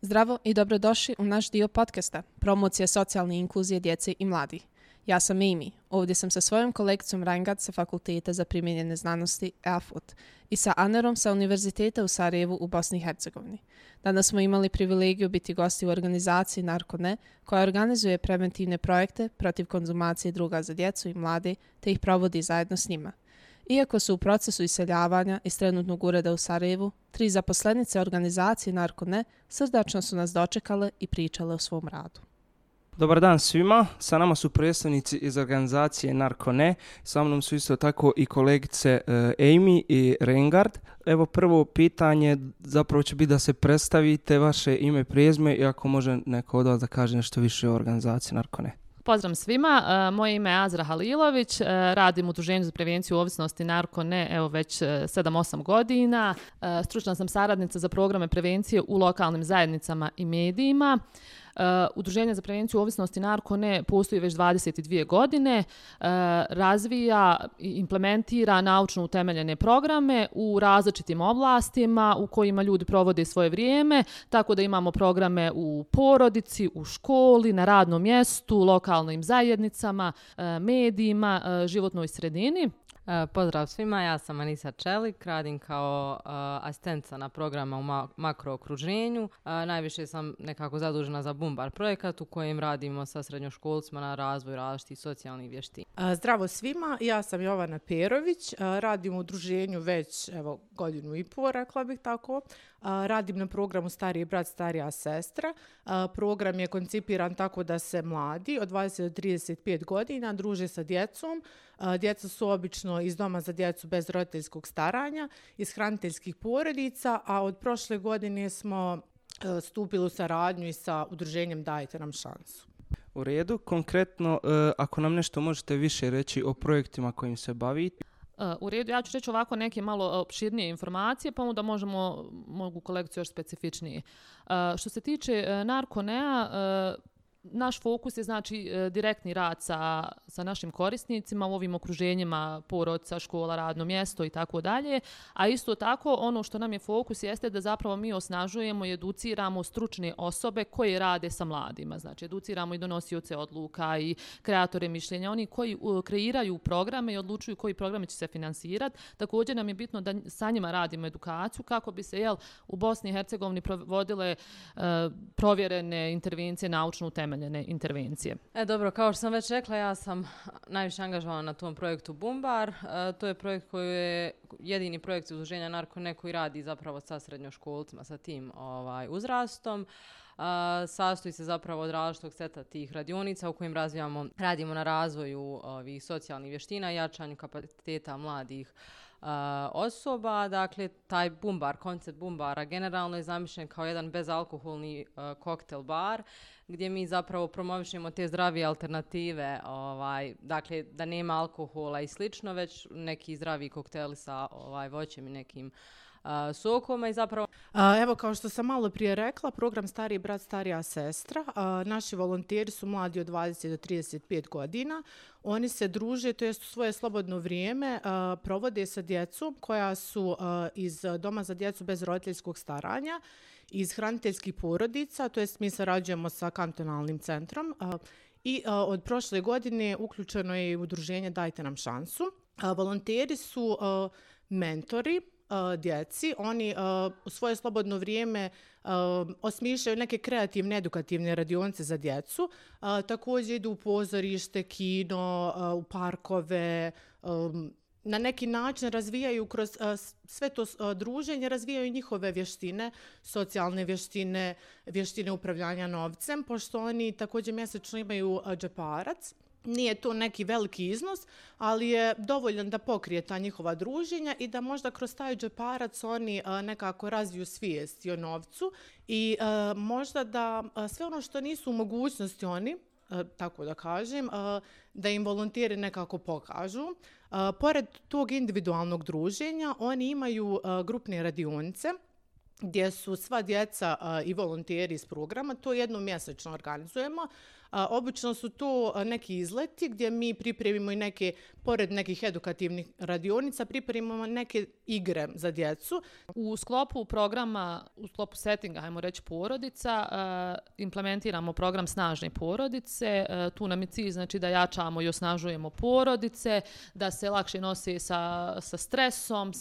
Zdravo i dobrodošli u naš dio podcasta Promocija socijalne inkluzije djece i mladih. Ja sam Amy, ovdje sam sa svojom kolegicom Reingard sa Fakulteta za primijenjene znanosti EAFUT i sa Anerom sa Univerziteta u Sarajevu u Bosni i Hercegovini. Danas smo imali privilegiju biti gosti u organizaciji Narko.ne koja organizuje preventivne projekte protiv konzumacije druga za djecu i mlade te ih provodi zajedno s njima. Iako su u procesu iseljavanja iz trenutnog ureda u Sarajevu, 3 zaposlenice organizacije Narko.ne srdačno su nas dočekale i pričale o svom radu. Dobar dan svima, sa nama su predstavnici iz organizacije Narko.ne, sa mnom su isto tako i kolegice Amy i Reingard. Evo prvo pitanje zapravo će biti da se predstavite, vaše ime, prezime i ako može neko od vas da kaže nešto više o organizaciji Narko.ne. Pozdrav svima, moje ime je Azra Halilović, radim u Udruženju za prevenciju ovisnosti Narko.ne evo već 7-8 godina. Stručna sam saradnica za programe prevencije u lokalnim zajednicama i medijima. Udruženje za prevenciju ovisnosti Narko.ne postoji već 22 godine, razvija i implementira naučno utemeljene programe u različitim oblastima u kojima ljudi provode svoje vrijeme, tako da imamo programe u porodici, u školi, na radnom mjestu, lokalnim zajednicama, medijima, životnoj sredini. Pozdrav svima, ja sam Anisa Čelik, radim kao asistentica na programa u makrookruženju. Najviše sam nekako zadužena za Bumbar projekat u kojem radimo sa srednjoškolcima na razvoju različitih socijalnih vještina. Zdravo svima, ja sam Jovana Perović, radim u udruženju već godinu i pol, rekla bih tako. Radim na programu Stariji brat, starija sestra. Program je koncipiran tako da se mladi od 20 do 35 godina druže sa djecom. Djeca su obično iz doma za djecu bez roditeljskog staranja, iz hraniteljskih porodica, a od prošle godine smo stupili u saradnju i sa udruženjem Dajte nam šansu. U redu, konkretno ako nam nešto možete više reći o projektima kojim se bavite. U redu, ja ću reći ovako neke malo opširnije informacije, pa onda mogu kolegicu još specifičnije. Što se tiče Narko.ne-a, naš fokus je znači direktni rad sa našim korisnicima u ovim okruženjima porodica, škola, radno mjesto i tako dalje, a isto tako ono što nam je fokus jeste da zapravo mi osnažujemo i educiramo stručne osobe koje rade sa mladima, znači educiramo i donosioce odluka i kreatore mišljenja, oni koji kreiraju programe i odlučuju koji programe će se finansirati. Također nam je bitno da sa njima radimo edukaciju kako bi se u Bosni i Hercegovini provodile provjerene intervencije, naučno utemeljene intervencije. Dobro, kao što sam već rekla, ja sam najviše angažovana na tom projektu Bumbar. To je projekt koji je jedini projekt udruženja Narko.ne koji radi zapravo sa srednjoškolcima, sa tim uzrastom. Sastoji se zapravo od različitog seta tih radionica u kojim radimo na razvoju ovih socijalnih vještina i jačanju kapaciteta mladih osoba. Dakle, taj Bumbar, koncept Bumbara generalno je zamišljen kao jedan bezalkoholni koktel bar gdje mi zapravo promovišemo te zdravije alternative, dakle da nema alkohola i slično, već neki zdravi kokteli sa voćem i nekim sokoma i zapravo... Evo, kao što sam malo prije rekla, program Stariji brat, starija sestra. Naši volonteri su mladi od 20 do 35 godina. Oni se druže, to jest svoje slobodno vrijeme provode sa djecom koja su iz doma za djecu bez roditeljskog staranja, iz hraniteljskih porodica, to jest mi sarađujemo sa kantonalnim centrom i od prošle godine uključeno je i udruženje Dajte nam šansu. Volonteri su mentori djeci, oni u svoje slobodno vrijeme osmišljaju neke kreativne, edukativne radionice za djecu. Također idu u pozorište, kino, u parkove, na neki način razvijaju kroz sve to druženje, razvijaju njihove vještine, socijalne vještine, vještine upravljanja novcem, pošto oni također mjesečno imaju džeparac. Nije to neki veliki iznos, ali je dovoljan da pokrije ta njihova druženja i da možda kroz taj džeparac oni nekako razviju svijest o novcu i možda da sve ono što nisu u mogućnosti oni, tako da kažem, da im volonteri nekako pokažu. Pored tog individualnog druženja, oni imaju grupne radionice gdje su sva djeca i volonteri iz programa. To jednom mjesečno organizujemo. Obično su to neki izleti gdje mi pripremimo i neke, pored nekih edukativnih radionica, pripremimo neke igre za djecu. U sklopu programa, u sklopu settinga, hajmo reći porodica, implementiramo program Snažne porodice. Tu nam je cilj znači, da jačamo i osnažujemo porodice, da se lakše nose sa stresom,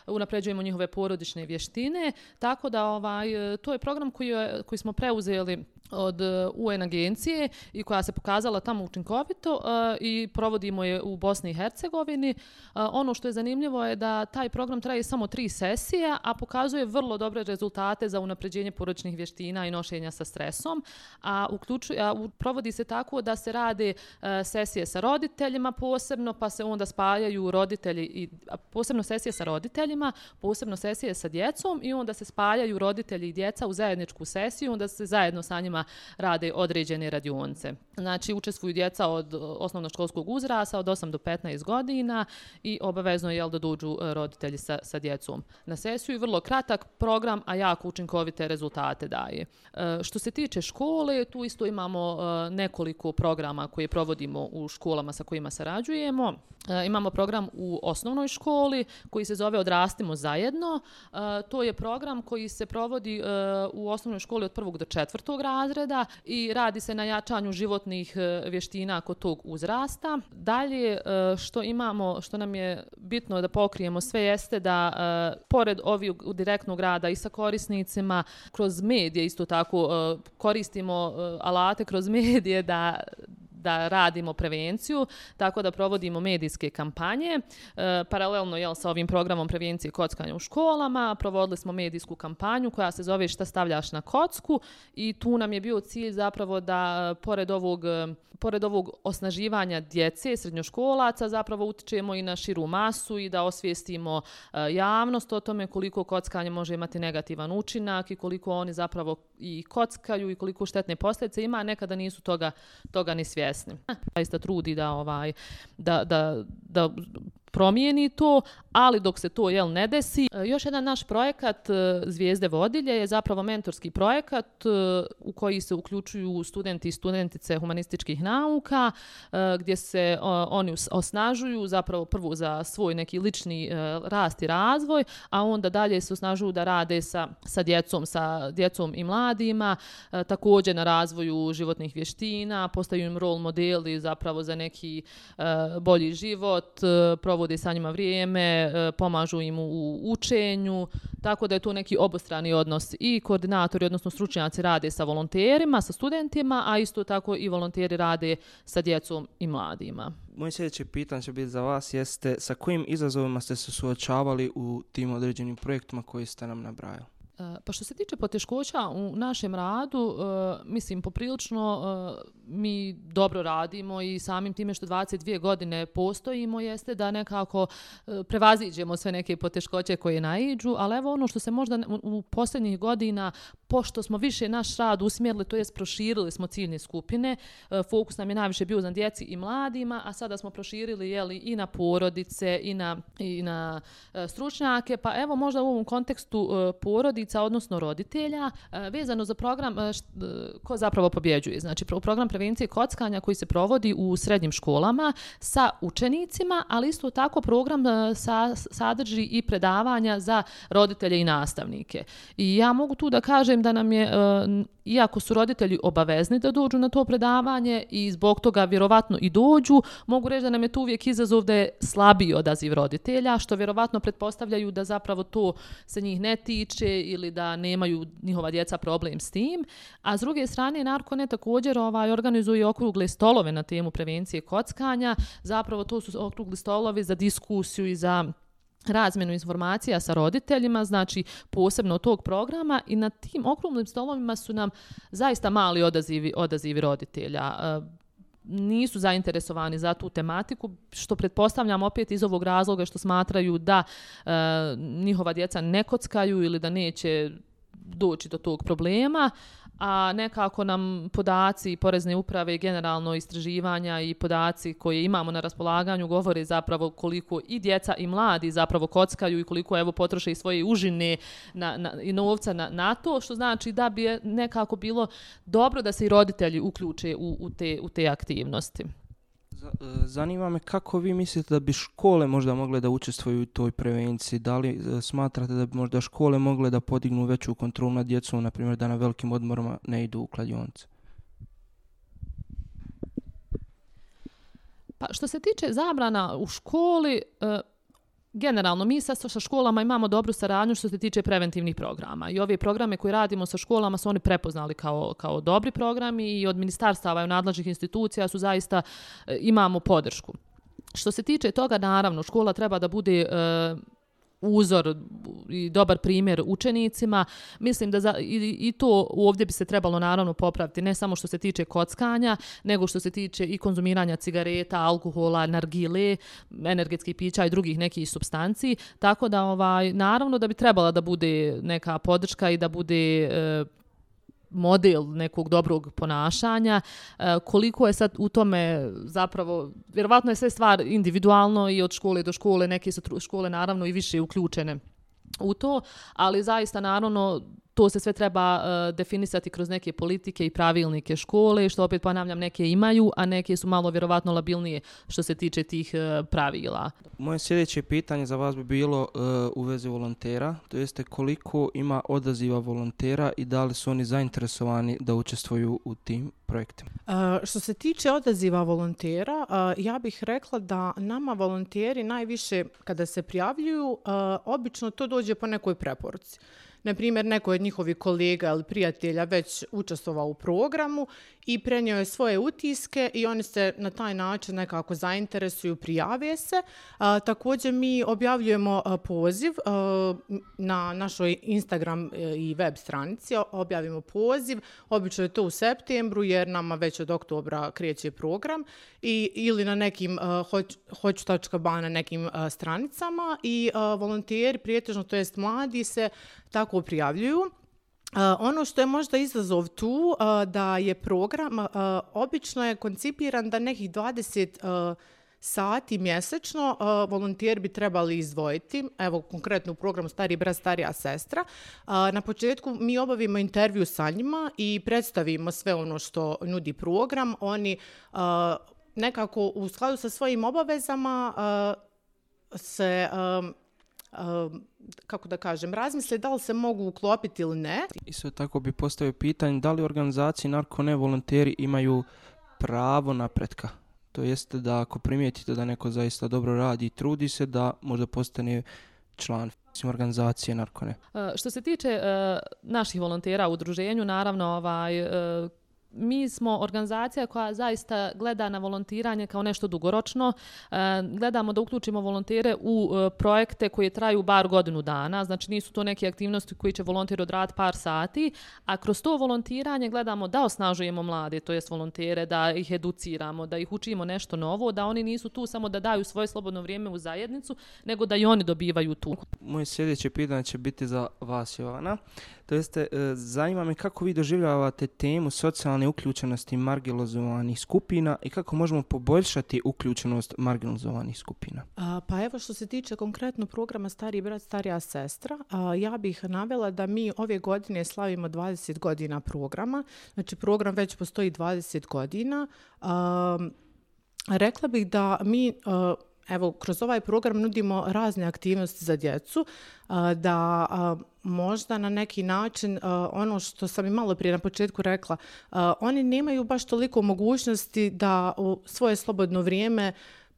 unapređujemo njihove porodične vještine. Tako da to je program koji smo preuzeli od UN agencije i koja se pokazala tamo učinkovito i provodimo je u Bosni i Hercegovini. Ono što je zanimljivo je da taj program traje samo 3 sesije, a pokazuje vrlo dobre rezultate za unapređenje porodičnih vještina i nošenja sa stresom. Provodi se tako da se rade sesije sa roditeljima posebno, pa se onda spajaju roditelji, posebno sesije sa roditeljima, posebno sesije sa djecom i onda se spajaju roditelji i djeca u zajedničku sesiju, onda se zajedno sa njima rade određene radionice. Znači, učestvuju djeca od osnovnoškolskog uzrasta od 8 do 15 godina i obavezno je da dođu roditelji sa djecom na sesiju. I vrlo kratak program, a jako učinkovite rezultate daje. Što se tiče škole, tu isto imamo nekoliko programa koje provodimo u školama sa kojima sarađujemo. Imamo program u osnovnoj školi koji se zove Odrastimo zajedno. To je program koji se provodi u osnovnoj školi od 1. do 4. razreda i radi se na jačanju životnih vještina kod tog uzrasta. Dalje, što nam je bitno da pokrijemo sve jeste da pored ovog direktnog rada i sa korisnicima, kroz medije isto tako koristimo alate kroz medije da radimo prevenciju, tako da provodimo medijske kampanje. Paralelno sa ovim programom prevencije kockanja u školama, provodili smo medijsku kampanju koja se zove Šta stavljaš na kocku i tu nam je bio cilj zapravo da pored ovog osnaživanja djece, srednjoškolaca, zapravo utičemo i na širu masu i da osvijestimo javnost o tome koliko kockanje može imati negativan učinak i koliko oni zapravo i kockaju i koliko štetne posljedice ima, a nekada nisu toga ni svjesni. Zaista trudi da promijeni to, ali dok se to ne desi. Još jedan naš projekat Zvijezde vodilje je zapravo mentorski projekat u koji se uključuju studenti i studentice humanističkih nauka, gdje se oni osnažuju zapravo prvo za svoj neki lični rast i razvoj, a onda dalje se osnažuju da rade sa djecom i mladima, također na razvoju životnih vještina, postaju im rol modeli zapravo za neki bolji život, provode sa njima vrijeme, pomažu im u učenju, tako da je to neki obostrani odnos i koordinatori, odnosno stručnjaci rade sa volonterima, sa studentima, a isto tako i volonteri rade sa djecom i mladima. Moje sljedeće pitanje će biti za vas jeste sa kojim izazovima ste se suočavali u tim određenim projektima koji ste nam nabrajali? Pa što se tiče poteškoća u našem radu, mislim poprilično mi dobro radimo i samim time što 22 godine postojimo jeste da nekako prevaziđemo sve neke poteškoće koje naiđu, ali evo ono što se možda u posljednjih godina, pošto smo više naš rad usmjerili, to jest proširili smo ciljne skupine, fokus nam je najviše bio na djeci i mladima, a sada smo proširili i na porodice i na stručnjake, pa evo možda u ovom kontekstu porodica, odnosno roditelja, vezano za program ko zapravo pobjeđuje. Znači program prevencije kockanja koji se provodi u srednjim školama sa učenicima, ali isto tako program sadrži i predavanja za roditelje i nastavnike. I ja mogu tu da kažem da nam je, iako su roditelji obavezni da dođu na to predavanje i zbog toga vjerovatno i dođu, mogu reći da nam je tu uvijek izazov da je slabiji odaziv roditelja, što vjerovatno pretpostavljaju da zapravo to se njih ne tiče ili da nemaju njihova djeca problem s tim. A s druge strane, Narko.net također organizuje okrugle stolove na temu prevencije kockanja. Zapravo to su okrugli stolovi za diskusiju i za razmjenu informacija sa roditeljima, znači posebno od tog programa, i na tim okruglim stolovima su nam zaista mali odazivi roditelja. Nisu zainteresovani za tu tematiku, što pretpostavljam opet iz ovog razloga što smatraju da njihova djeca ne kockaju ili da neće doći do tog problema, a nekako nam podaci Porezne uprave i generalno istraživanja i podaci koje imamo na raspolaganju govore zapravo koliko i djeca i mladi zapravo kockaju i koliko evo potroše i svoje užine i novca na to, što znači da bi nekako bilo dobro da se i roditelji uključe u te aktivnosti. Zanima me kako vi mislite da bi škole možda mogle da učestvuju u toj prevenciji? Da li smatrate da bi možda škole mogle da podignu veću kontrolu nad djecom, na primjer da na velikim odmorima ne idu u kladionice? Pa što se tiče zabrana u školi, generalno mi sa školama imamo dobru saradnju što se tiče preventivnih programa i ove programe koje radimo sa školama su oni prepoznali kao dobri programi i od ministarstava i nadležnih institucija su zaista imamo podršku. Što se tiče toga, naravno, škola treba da bude uzor i dobar primjer učenicima. Mislim da i to ovdje bi se trebalo naravno popraviti, ne samo što se tiče kockanja, nego što se tiče i konzumiranja cigareta, alkohola, nargile, energetskih pića i drugih nekih supstanci. Tako da naravno da bi trebala da bude neka podrška i da bude model nekog dobrog ponašanja. Koliko je sad u tome zapravo, vjerovatno je sve stvar individualno i od škole do škole, neke su škole naravno i više uključene u to, ali zaista naravno to se sve treba definisati kroz neke politike i pravilnike škole, što opet ponavljam neke imaju, a neke su malo vjerovatno labilnije što se tiče tih pravila. Moje sljedeće pitanje za vas bi bilo u vezi volontera, to jeste koliko ima odaziva volontera i da li su oni zainteresovani da učestvuju u tim projektima? Što se tiče odaziva volontera, ja bih rekla da nama volonteri najviše kada se prijavljuju, obično to dođe po nekoj preporuci. Na primjer, neko od njihovih kolega ili prijatelja već učestvovao u programu i prenio je svoje utiske i oni se na taj način nekako zainteresuju, prijave se. Također mi objavljujemo poziv na našoj Instagram i web stranici, objavimo poziv, obično je to u septembru jer nama već od oktobra kreće program ili na nekim hoću.ba na nekim stranicama i volonteri, prijetežno to jest mladi, se tako prijavljuju. Ono što je možda izazov tu, da je program obično je koncipiran da nekih 20 sati mjesečno volonteri bi trebali izdvojiti. Evo, konkretno u programu Stariji brat, starija sestra. Na početku mi obavimo intervju sa njima i predstavimo sve ono što nudi program. Oni nekako u skladu sa svojim obavezama se kako da kažem, razmisle da li se mogu uklopiti ili ne. Isto tako bi postavio pitanje da li organizacije narko-ne volonteri imaju pravo napretka. To jeste da ako primijetite da neko zaista dobro radi i trudi se, da možda postane član organizacije narko-ne. Što se tiče naših volontera u udruženju, naravno mi smo organizacija koja zaista gleda na volontiranje kao nešto dugoročno. Gledamo da uključimo volontere u projekte koje traju bar godinu dana. Znači nisu to neke aktivnosti koje će volonter odraditi par sati, a kroz to volontiranje gledamo da osnažujemo mlade, to jest volontere, da ih educiramo, da ih učimo nešto novo, da oni nisu tu samo da daju svoje slobodno vrijeme u zajednicu, nego da i oni dobivaju tu. Moje sljedeće pitanje će biti za vas, Jovana. To jeste, zanima me kako vi doživljavate temu socijalne uključenosti marginalizovanih skupina i kako možemo poboljšati uključenost marginalizovanih skupina. Pa evo, što se tiče konkretno programa Stariji brat, starija sestra, ja bih navela da mi ove godine slavimo 20 godina programa. Znači program već postoji 20 godina. Rekla bih da mi evo, kroz ovaj program nudimo razne aktivnosti za djecu, da možda na neki način, ono što sam i malo prije na početku rekla, oni nemaju baš toliko mogućnosti da u svoje slobodno vrijeme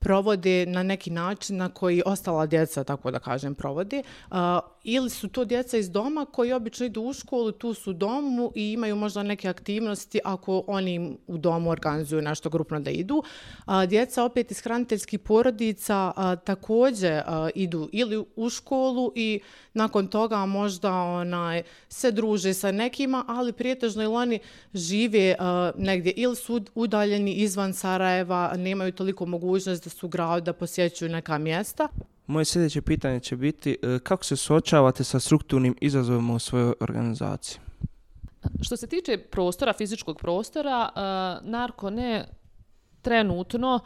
provode na neki način na koji ostala djeca, tako da kažem, provode. Ili su to djeca iz doma koji obično idu u školu, tu su u domu i imaju možda neke aktivnosti ako oni u domu organizuju nešto grupno da idu. Djeca opet iz hraniteljskih porodica također idu ili u školu i nakon toga možda se druže sa nekima, ali prijetežno ili oni žive negdje ili su udaljeni izvan Sarajeva, nemaju toliko mogućnost da su u gradu, da posjećuju neka mjesta. Moje sljedeće pitanje će biti kako se suočavate sa strukturnim izazovima u svojoj organizaciji? Što se tiče prostora, fizičkog prostora, Narko.ne trenutno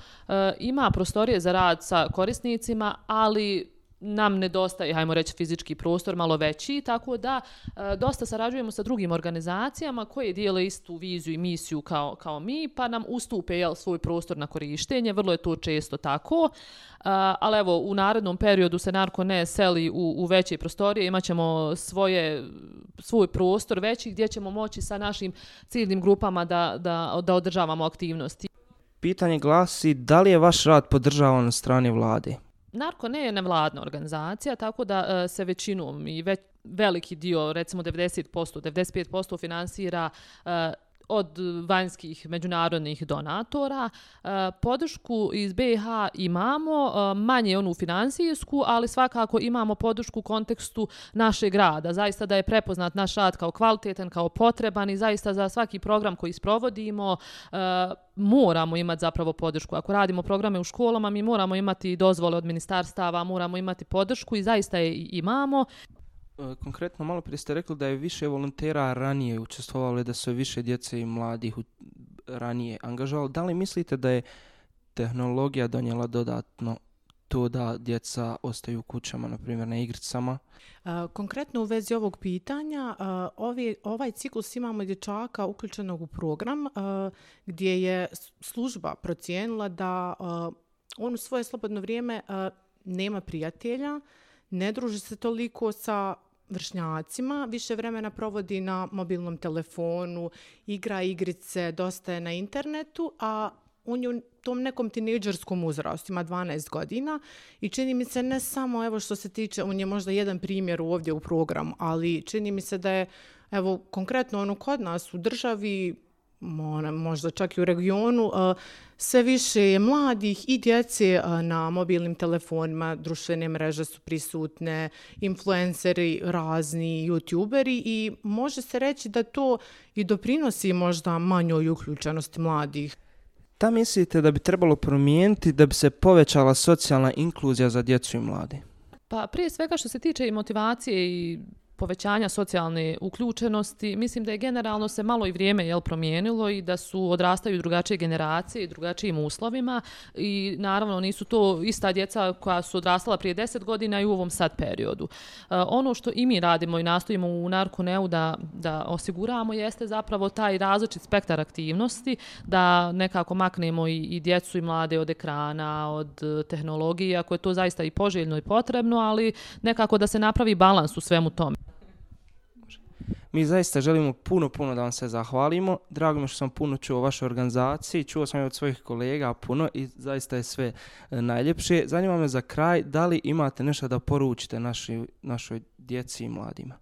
ima prostorije za rad sa korisnicima, ali nam nedostaje, hajmo reći, fizički prostor malo veći, tako da dosta sarađujemo sa drugim organizacijama koje dijele istu viziju i misiju kao mi, pa nam ustupe svoj prostor na korištenje, vrlo je to često tako, ali evo, u narednom periodu se Narko.ne seli u veće prostorije, imat ćemo svoj prostor veći gdje ćemo moći sa našim ciljnim grupama da održavamo aktivnosti. Pitanje glasi, da li je vaš rad podržavan od strane vlade? Narko.ne je nevladna organizacija, tako da se većinom i veliki dio, recimo 90%, 95% finansira od vanjskih međunarodnih donatora. Podršku iz BiH imamo, manje onu finansijsku, ali svakako imamo podršku u kontekstu našeg rada. Zaista da je prepoznat naš rad kao kvalitetan, kao potreban i zaista za svaki program koji sprovodimo moramo imati zapravo podršku. Ako radimo programe u školama, mi moramo imati dozvole od ministarstava, moramo imati podršku i zaista je imamo. Konkretno, malo prije ste rekli da je više volontera ranije učestvovalo, da su više djece i mladih ranije angažovali. Da li mislite da je tehnologija donijela dodatno to da djeca ostaju u kućama, na primjer na igricama? Konkretno u vezi ovog pitanja, ovaj ciklus imamo dječaka uključenog u program gdje je služba procijenila da on u svoje slobodno vrijeme nema prijatelja, ne druži se toliko sa vršnjacima, više vremena provodi na mobilnom telefonu, igra igrice, dosta je na internetu, a on je u tom nekom tinejdžerskom uzrastu, ima 12 godina i čini mi se ne samo, evo što se tiče, on je možda jedan primjer ovdje u programu, ali čini mi se da je, evo konkretno kod nas u državi, možda čak i u regionu, sve više je mladih i djece na mobilnim telefonima, društvene mreže su prisutne, influenceri, razni youtuberi i može se reći da to i doprinosi možda manjoj uključenosti mladih. Da mislite da bi trebalo promijeniti da bi se povećala socijalna inkluzija za djecu i mlade? Pa prije svega što se tiče i motivacije i povećanja socijalne uključenosti, mislim da je generalno se malo i vrijeme promijenilo i da su odrastaju drugačije generacije i drugačijim uslovima i naravno nisu to ista djeca koja su odrastala prije 10 godina i u ovom sad periodu. Ono što i mi radimo i nastojimo u Narko.neu da osiguramo jeste zapravo taj različit spektar aktivnosti, da nekako maknemo i djecu i mlade od ekrana, od tehnologije, ako je to zaista i poželjno i potrebno, ali nekako da se napravi balans u svemu tome. Mi zaista želimo puno da vam se zahvalimo. Drago mi što sam puno čuo o vašoj organizaciji, čuo sam i od svojih kolega puno i zaista je sve najljepše. Zanima me za kraj, da li imate nešto da poručite našoj djeci i mladima?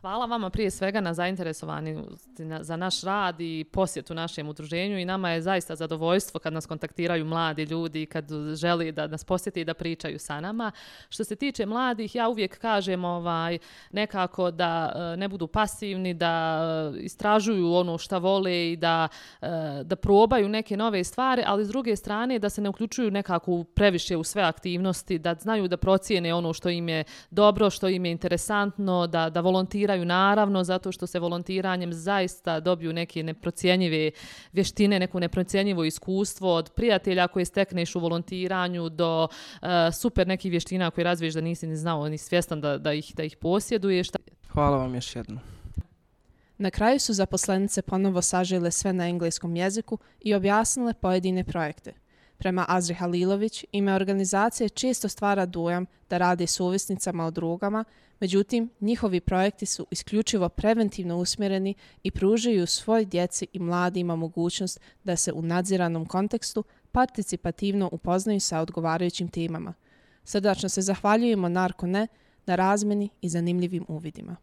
Hvala vama prije svega na zainteresovanjosti za naš rad i posjetu našem udruženju i nama je zaista zadovoljstvo kad nas kontaktiraju mladi ljudi, kad želi da nas posjeti i da pričaju sa nama. Što se tiče mladih, ja uvijek kažem nekako da ne budu pasivni, da istražuju ono šta vole i da probaju neke nove stvari, ali s druge strane da se ne uključuju nekako previše u sve aktivnosti, da znaju da procijene ono što im je dobro, što im je interesantno, da volontiraju naravno, zato što se volontiranjem zaista dobiju neke neprocjenjive vještine, neko neprocjenjivo iskustvo od prijatelja koje stekneš u volontiranju do super nekih vještina koje razviješ da nisi ni znao ni svjestan da ih posjeduješ. Hvala vam još jednom. Na kraju su zaposlenice ponovo sažele sve na engleskom jeziku i objasnile pojedine projekte. Prema Azri Halilović, ime organizacije često stvara dojam da rade s ovisnicama o drogama, međutim, njihovi projekti su isključivo preventivno usmjereni i pružaju svoj djeci i mladima mogućnost da se u nadziranom kontekstu participativno upoznaju sa odgovarajućim temama. Srdačno se zahvaljujemo Narko.ne na razmjeni i zanimljivim uvidima.